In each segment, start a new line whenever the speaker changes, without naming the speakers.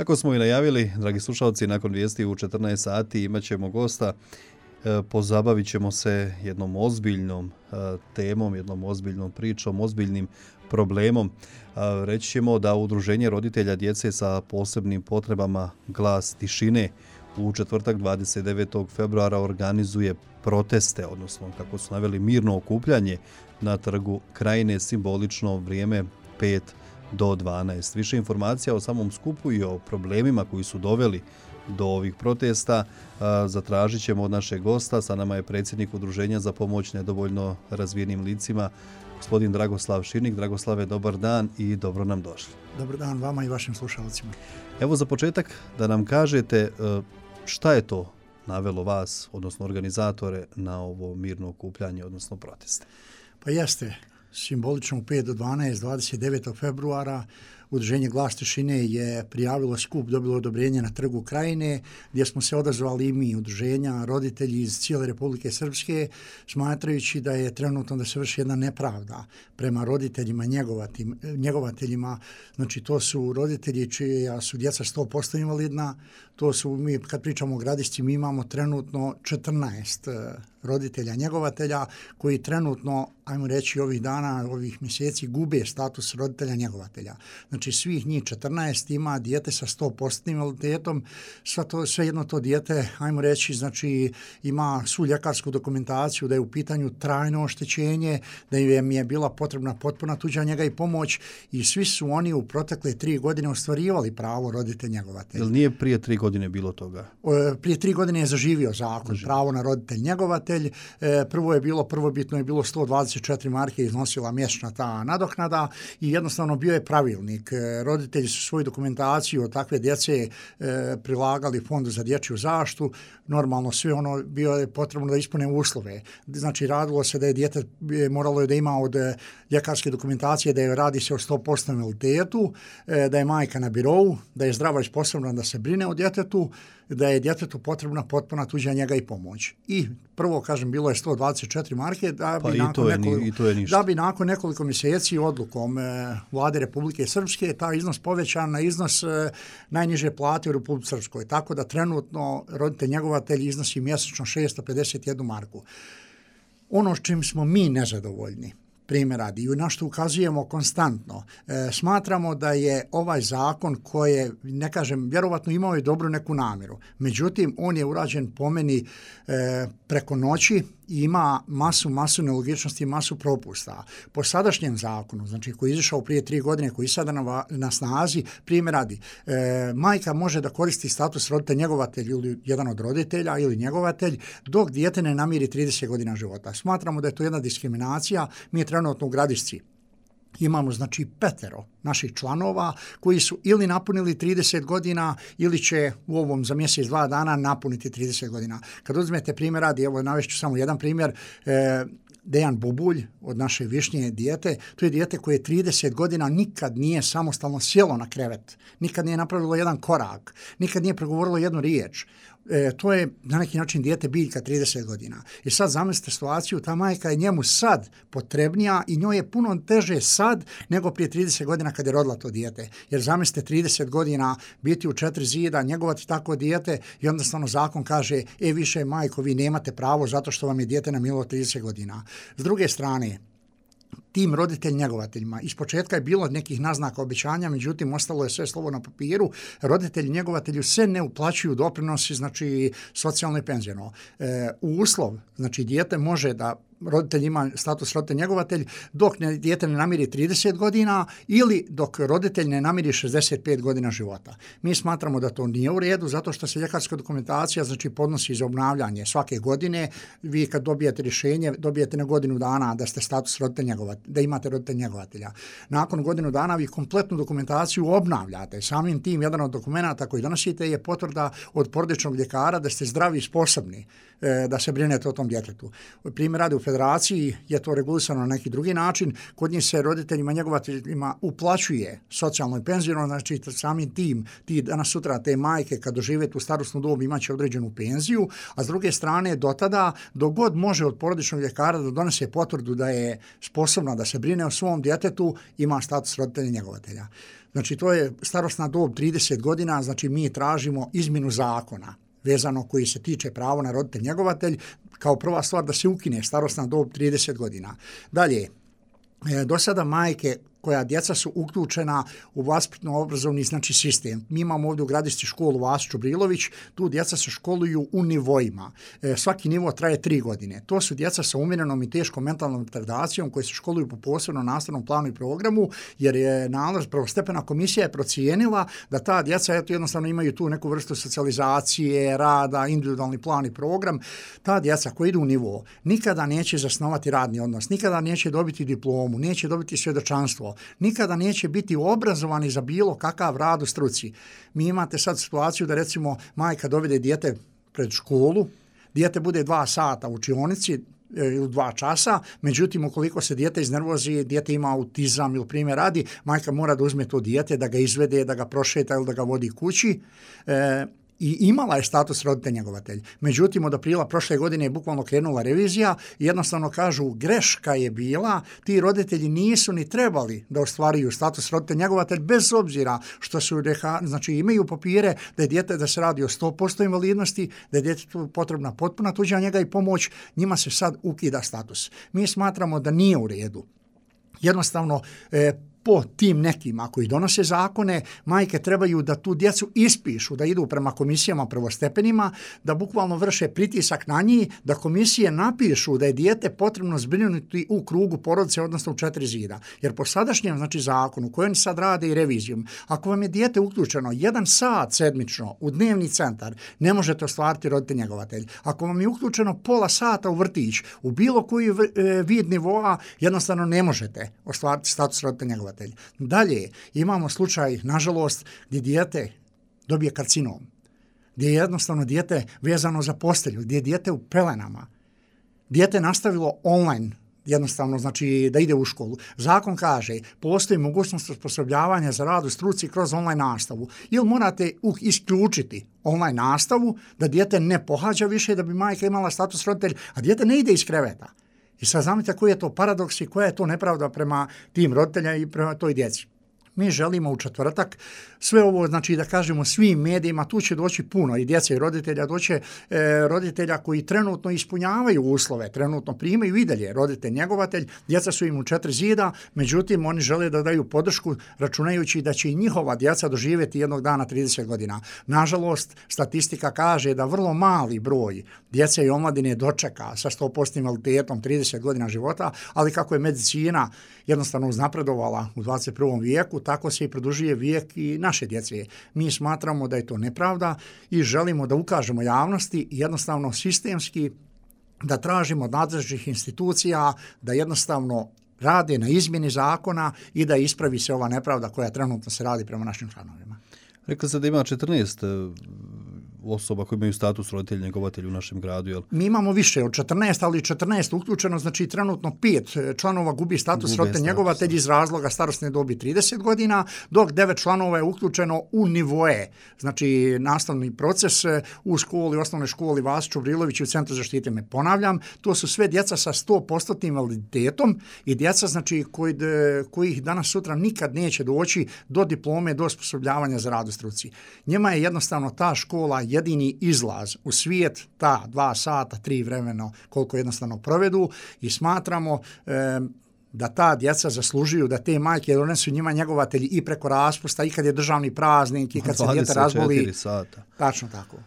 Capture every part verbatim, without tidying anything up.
Kako smo i najavili, dragi slušalci, nakon vijesti u četrnaest sati imat ćemo gosta. Pozabavit ćemo se jednom ozbiljnom temom, jednom ozbiljnom pričom, ozbiljnim problemom. Reći ćemo da Udruženje roditelja djece sa posebnim potrebama Glas tišine u četvrtak dvadeset devetog februara organizuje proteste, odnosno kako su naveli mirno okupljanje na Trgu Krajine, simbolično vrijeme pet do dvanaest. Više informacija o samom skupu i o problemima koji su doveli do ovih protesta zatražit ćemo od našeg gosta. Sa nama je predsjednik Udruženja za pomoć nedovoljno razvijenim licima, gospodin Dragoslav Širnik. Dragoslave, dobar dan i dobro nam došli.
Dobar dan vama i vašim slušalcima.
Evo za početak da nam kažete šta je to navelo vas, odnosno organizatore, na ovo mirno okupljanje, odnosno proteste.
Pa jeste, simbolično u pet do dvanaest, dvadeset devetog februara, Udruženje Glas tišine je prijavilo skup, dobilo odobrenje na Trgu Krajine, gdje smo se odazvali i mi, udruženja, roditelji iz cijele Republike Srpske, smatrajući da je trenutno da se vrši jedna nepravda prema roditeljima, njegovateljima. Znači, to su roditelji čija su djeca sto posto invalidna, to su, mi kad pričamo o Gradišci, mi imamo trenutno četrnaest roditelja, njegovatelja, koji trenutno, ajmo reći, ovih dana, ovih mjeseci gube status roditelja, njegovatelja. Znači, svih njih četrnaest ima dijete sa sto posto invaliditetom, sve, to, sve jedno to dijete, ajmo reći, znači, ima svu ljekarsku dokumentaciju da je u pitanju trajno oštećenje, da im je bila potrebna potpuna tuđa njega i pomoć i svi su oni u protekle tri godine ostvarivali pravo roditelj njegovatelj.
Jel nije prije tri godine bilo toga?
Prije tri godine je zaživio zakon, zaživio. Pravo na roditelj njegovatelj. Prvo je bilo, prvobitno je bilo sto dvadeset četiri marke iznosila mjesečna ta nadoknada i jednostavno bio je pravilnik. Roditelji su svoju dokumentaciju od takve djece e, prilagali Fondu za dječju zaštitu. Normalno sve ono bio je potrebno da ispune uslove. Znači radilo se da je dijete moralo je da ima od ljekarske dokumentacije da je radi se o sto posto invaliditetu, e, da je majka na birovu, da je zdrava i sposobna da se brine o djetetu, da je djetetu potrebna potpuna tuđa njega i pomoć. I prvo, kažem, bilo je sto dvadeset četiri marke, da bi,
pa
nakon,
to je,
nekoliko,
i to je
da bi nakon nekoliko mjeseci odlukom e, Vlade Republike Srpske taj iznos povećan na iznos e, najniže plate u Republike Srpskoj. Tako da trenutno roditelj njegovatelj iznosi mjesečno šesto pedeset jednu marku. Ono s čim smo mi nezadovoljni, primjer radi, i na što ukazujemo konstantno. E, smatramo da je ovaj zakon koji, ne kažem, vjerovatno imao je dobru neku namjeru. Međutim, on je urađen po meni e, preko noći i ima masu, masu nelogičnosti i masu propusta. Po sadašnjem zakonu, znači koji je izašao prije tri godine, koji je sada na, na snazi, primjer radi, e, majka može da koristi status roditelj njegovatelj ili jedan od roditelja ili njegovatelj dok dijete ne namiri trideset godina života. Smatramo da je to jedna diskriminacija. Mi je trenutno u Gradišci imamo, znači, petero naših članova koji su ili napunili trideset godina ili će u ovom za mjesec, dva dana napuniti trideset godina. Kad uzmete primjer radi, evo navešću samo jedan primjer, e, Dejan Bubulj od naše Višnje dijete, to je dijete koje trideset godina nikad nije samostalno sjelo na krevet, nikad nije napravilo jedan korak, nikad nije progovorilo jednu riječ. E, to je na neki način dijete biljka trideset godina. I sad zamislite situaciju, ta majka je njemu sad potrebnija i njoj je puno teže sad nego prije trideset godina kad je rodila to dijete. Jer zamislite trideset godina biti u četiri zida, njegovati tako dijete i onda stvarno zakon kaže, e više majko, vi nemate pravo zato što vam je dijete namilo trideset godina. S druge strane, tim roditelj njegovateljima. Ispočetka je bilo nekih naznaka obećanja, međutim ostalo je sve slovo na papiru. Roditelji njegovatelju se ne uplaćuju doprinosi, znači socijalno i penziono. E, uslov, znači dijete može da roditelj ima status roditelj njegovatelj dok ne, dijete ne namiri trideset godina ili dok roditelj ne namiri šezdeset pet godina života. Mi smatramo da to nije u redu zato što se ljekarska dokumentacija, znači, podnosi za obnavljanje svake godine. Vi kad dobijete rješenje, dobijete na godinu dana da ste status roditelj njegovatelj, da imate roditelj njegovatelja. Nakon godinu dana vi kompletnu dokumentaciju obnavljate. Samim tim jedan od dokumenata koji donosite je potvrda od porodičnog ljekara da ste zdravi i sposobni e, da se brinete o tom djetetu. Primjer radi, u federaciji je to regulisano na neki drugi način. Kod njih se roditeljima, njegovateljima uplaćuje socijalno i penziono, znači samim tim, ti danas sutra te majke kad dožive tu starosnu dobu imaće određenu penziju, a s druge strane do tada, dok god može od porodičnog ljekara da donese potvrdu da je sposobna da se brine o svom djetetu, ima status roditelja njegovatelja. Znači to je starosna dob trideset godina, znači mi tražimo izmjenu zakona vezano koji se tiče pravo na roditelj njegovatelj, kao prva stvar da se ukine starosna dob trideset godina. Dalje, do sada majke koja djeca su uključena u vaspitno-obrazovni znači sistem. Mi imamo ovdje u Gradišci školu Vasić Čubrilović, tu djeca se školuju u nivoima. E, svaki nivo traje tri godine. To su djeca sa umjerenom i teškom mentalnom retardacijom koji se školuju po posebnom nastavnom planu i programu, jer je nalaz prvostepena komisija je procijenila da ta djeca eto, jednostavno imaju tu neku vrstu socijalizacije, rada, individualni plan i program. Ta djeca koji idu u nivo nikada neće zasnovati radni odnos, nikada neće dobiti diplomu, neće dobiti svjedočanstvo, nikada neće biti obrazovani za bilo kakav rad u struci. Mi imate sad situaciju da recimo majka dovede dijete pred školu, dijete bude dva sata u učionici ili dva časa, međutim ukoliko se dijete iznervozi, dijete ima autizam ili primjer radi, majka mora da uzme to dijete, da ga izvede, da ga prošeta ili da ga vodi kući. E, i imala je status roditelj njegovatelj. Međutim, od aprila prošle godine je bukvalno krenula revizija i jednostavno kažu greška je bila, ti roditelji nisu ni trebali da ostvaruju status roditelj njegovatelj bez obzira što su, znači imaju papire da je dijete da se radi o sto posto invalidnosti, da je djetetu potrebna potpuna tuđa njega i pomoć, njima se sad ukida status. Mi smatramo da nije u redu. Jednostavno, e, po tim nekima koji donose zakone, majke trebaju da tu djecu ispišu, da idu prema komisijama prvostepenima, da bukvalno vrše pritisak na njih, da komisije napišu da je dijete potrebno zbrinuti u krugu porodice, odnosno u četiri zida. Jer po sadašnjem znači, zakonu, koji oni sad rade i revizijom, ako vam je dijete uključeno jedan sat sedmično u dnevni centar, ne možete ostvariti roditelj njegovatelj. Ako vam je uključeno pola sata u vrtić, u bilo koji vid nivoa, jednostavno ne možete ostvariti status roditelj njegovatelj. Dalje, imamo slučaj, nažalost, gdje dijete dobije karcinom, gdje je jednostavno dijete vezano za postelju, gdje je dijete u pelenama. Dijete nastavilo online, jednostavno, znači da ide u školu. Zakon kaže, postoji mogućnost osposobljavanja za rad u struci kroz online nastavu. Ili morate isključiti online nastavu, da dijete ne pohađa više, da bi majka imala status roditelj, a dijete ne ide iz kreveta. I sad znate koji je to paradoks i koja je to nepravda prema tim roditeljima i prema toj djeci. Mi želimo u četvrtak sve ovo, znači da kažemo svim medijima, tu će doći puno i djece i roditelja, doće e, roditelja koji trenutno ispunjavaju uslove, trenutno primaju i dalje roditelj njegovatelj, djeca su im u četiri zida, međutim oni žele da daju podršku računajući da će i njihova djeca doživjeti jednog dana trideset godina. Nažalost, statistika kaže da vrlo mali broj djece i omladine dočeka sa sto posto invaliditetom trideset godina života, ali kako je medicina jednostavno uznapredovala u dvadeset prvom vijeku, tako se i produžuje vijek i naše djece. Mi smatramo da je to nepravda i želimo da ukažemo javnosti jednostavno sistemski da tražimo od nadležnih institucija da jednostavno rade na izmjeni zakona i da ispravi se ova nepravda koja trenutno se radi prema našim članovima.
Rekli ste da ima četrnaest osoba koji imaju status roditelj njegovatelj u našem gradu, jel?
Mi imamo više od četrnaest, ali četrnaest uključeno, znači trenutno pet članova gubi status roditelj njegovatelj iz razloga starosne dobi trideset godina, dok devet članova je uključeno u nivoe, znači nastavni proces u školi, osnovnoj školi Vasić Čubrilović i u Centru zaštite. Me ponavljam, to su sve djeca sa sto posto invaliditetom i djeca znači koji, kojih danas sutra nikad neće doći do diplome, do osposobljavanja za rad u struci. Njima je jednostavno ta škola jedini izlaz u svijet, ta dva sata, tri vremeno, koliko jednostavno provedu i smatramo e, da ta djeca zaslužuju, da te majke donesu njima njegovatelji i preko raspusta, i kad je državni praznik, i kad se dijete razboli.
Sata.
Tačno tako.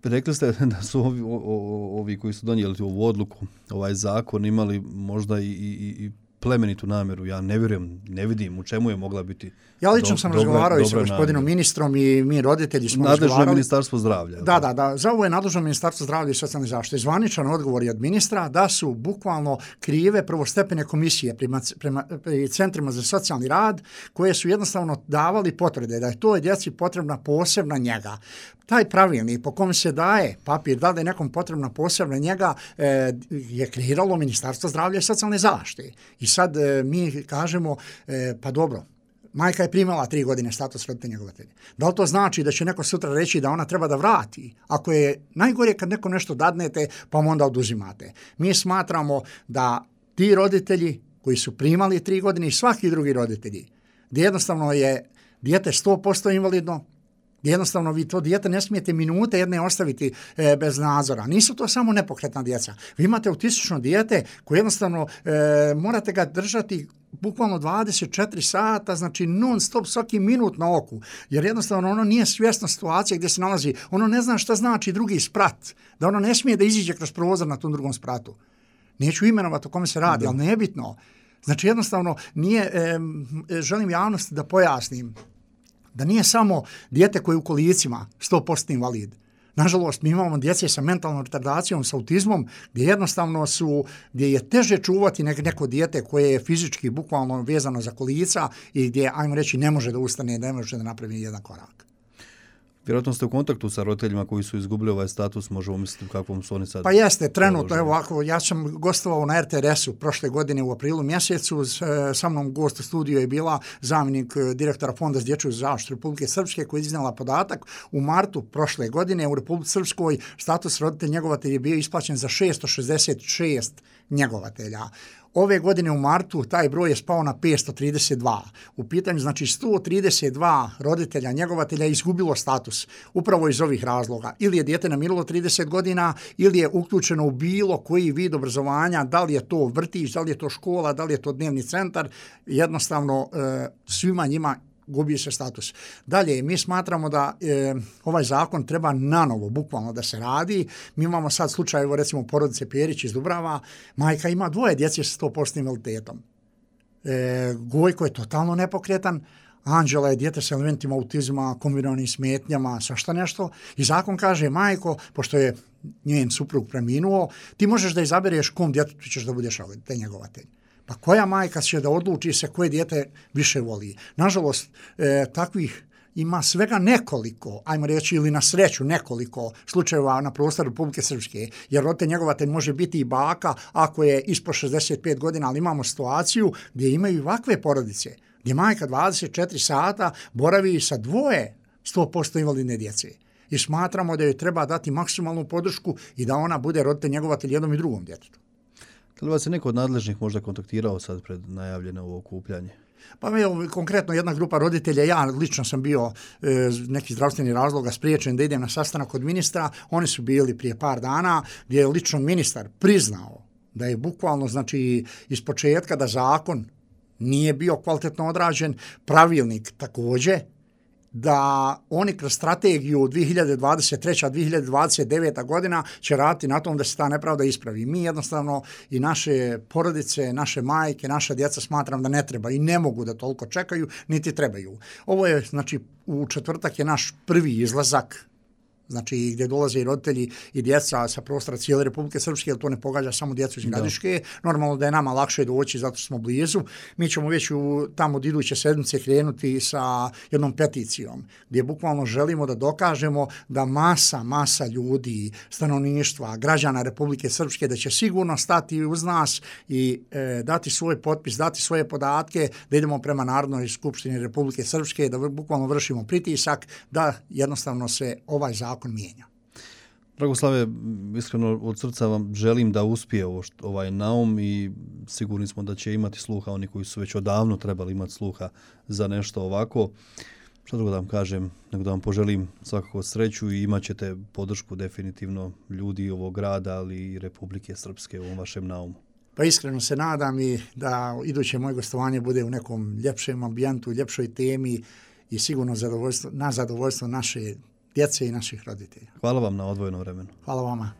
Rekli ste da su ovi, o, ovi koji su donijeli ovu odluku, ovaj zakon, imali možda i, i, i plemenitu namjeru. Ja ne vjerujem, ne vidim u čemu je mogla biti.
Ja lično
do,
sam
dobra,
razgovarao i sa
dobra
gospodinom
namjera.
ministrom i mi roditelji smo
nadležno
razgovarali.
je Ministarstvo zdravlja.
Da, da, da. Za ovo je nadležno Ministarstvo zdravlja i socijalne zaštite. Zvaničan odgovor je od ministra da su bukvalno krive prvostepene komisije prema, prema centrima za socijalni rad koje su jednostavno davali potvrde da je toj djeci potrebna posebna njega. Taj pravilnik po kom se daje papir da li je nekom potrebna posebna njega e, je kreiralo Ministarstvo zdravlja i socijalne zaštite. I sad e, mi kažemo e, pa dobro, majka je primala tri godine status roditelja njegovatelja. Da li to znači da će neko sutra reći da ona treba da vrati? Ako je najgore kad neko nešto dadnete pa mu onda oduzimate. Mi smatramo da ti roditelji koji su primali tri godine i svaki drugi roditelji, gdje jednostavno je dijete sto posto invalidno, jednostavno vi to dijete ne smijete minute jedne ostaviti e, bez nadzora. Nisu to samo nepokretna djeca. Vi imate autistično dijete koje jednostavno e, morate ga držati bukvalno dvadeset četiri sata, znači non stop svaki minut na oku, jer jednostavno ono nije svjesno situacije gdje se nalazi. Ono ne zna šta znači drugi sprat, da ono ne smije da iziđe kroz prozor na tom drugom spratu. Neću imenovati o kome se radi, da. Ali nebitno. Znači jednostavno nije, e, želim javnosti da pojasnim da nije samo dijete koje je u kolicima sto posto invalid. Nažalost, mi imamo djece sa mentalnom retardacijom, sa autizmom, gdje jednostavno su, gdje je teže čuvati neko dijete koje je fizički bukvalno vezano za kolica i gdje, ajmo reći, ne može da ustane, ne može da napravi jedan korak.
Vjerojatno ste u kontaktu sa roditeljima koji su izgubili ovaj status, možemo misliti u kakvom su oni sad...
Pa jeste, trenutno, evo ovako, ja sam gostovao na er te er esu prošle godine u aprilu mjesecu, sa mnom gost u studiju je bila zamjenik direktora Fonda za dječju zaštitu Republike Srpske koja je iznijela podatak u martu prošle godine u Republici Srpskoj status roditelj njegovatelj je bio isplaćen za šesto šezdeset šest njegovatelja. Ove godine u martu taj broj je spao na petsto trideset dva. U pitanju znači sto trideset dva roditelja njegovatelja izgubilo status upravo iz ovih razloga. Ili je dijete namirilo trideset godina ili je uključeno u bilo koji vid obrazovanja, da li je to vrtić, da li je to škola, da li je to dnevni centar, jednostavno e, svima njima gubi se status. Dalje, mi smatramo da e, ovaj zakon treba nanovo, bukvalno da se radi. Mi imamo sad slučaj, evo recimo porodice Perić iz Dubrava, majka ima dvoje djece sa sto posto invaliditetom. E, Gojko je totalno nepokretan, Anđela je dijete sa elementima autizma, kombinovanim smetnjama, svašta nešto. I zakon kaže, majko, pošto je njen suprug preminuo, ti možeš da izabereš kom djetetu ćeš da budeš te njegovatelj. Pa koja majka će da odluči se koje dijete više voli? Nažalost, e, takvih ima svega nekoliko, ajmo reći ili na sreću nekoliko slučajeva na prostoru Republike Srpske, jer roditelj njegovatelj može biti i baka ako je ispod šezdeset pet godina, ali imamo situaciju gdje imaju ovakve porodice, gdje majka dvadeset četiri sata boravi sa dvoje sto posto invalidne djece. I smatramo da joj treba dati maksimalnu podršku i da ona bude roditelj njegovatelj jednom i drugom djetetu.
Da li vas je neko od nadležnih možda kontaktirao sad pred najavljeno ovo okupljanje?
Pa evo, konkretno jedna grupa roditelja, ja lično sam bio e, neki zdravstveni razloga spriječen da idem na sastanak kod ministra, oni su bili prije par dana gdje je lično ministar priznao da je bukvalno, znači, iz početka da zakon nije bio kvalitetno odrađen, pravilnik također, da oni kroz strategiju dvije hiljade dvadeset treća do dvije hiljade dvadeset deveta godina će raditi na tom da se ta nepravda ispravi. Mi jednostavno i naše porodice, naše majke, naša djeca smatram da ne treba i ne mogu da toliko čekaju, niti trebaju. Ovo je, znači, u četvrtak je naš prvi izlazak, znači gdje dolaze i roditelji i djeca sa prostora cijele Republike Srpske, jer to ne pogađa samo djecu iz Gradiške. Normalno da je nama lakše doći zato što smo blizu. Mi ćemo već u, tamo od iduće sedmice krenuti sa jednom peticijom, gdje bukvalno želimo da dokažemo da masa, masa ljudi, stanovništva, građana Republike Srpske, da će sigurno stati uz nas i e, dati svoj potpis, dati svoje podatke, da idemo prema Narodnoj skupštini Republike Srpske, da bukvalno vršimo pritisak, da jednostavno se ovaj zakon zakon mijenja.
Dragoslave, iskreno od srca vam želim da uspije ovo, ovaj naum i sigurni smo da će imati sluha oni koji su već odavno trebali imati sluha za nešto ovako. Što drugo da vam kažem, nego da vam poželim svakako sreću i imat ćete podršku definitivno ljudi ovog grada, ali i Republike Srpske u ovom vašem naumu.
Pa iskreno se nadam i da iduće moje gostovanje bude u nekom ljepšem ambijentu, ljepšoj temi i sigurno zadovoljstvo, na zadovoljstvo naše djece i naših roditelja.
Hvala vam na odvojenom vremenu.
Hvala vama.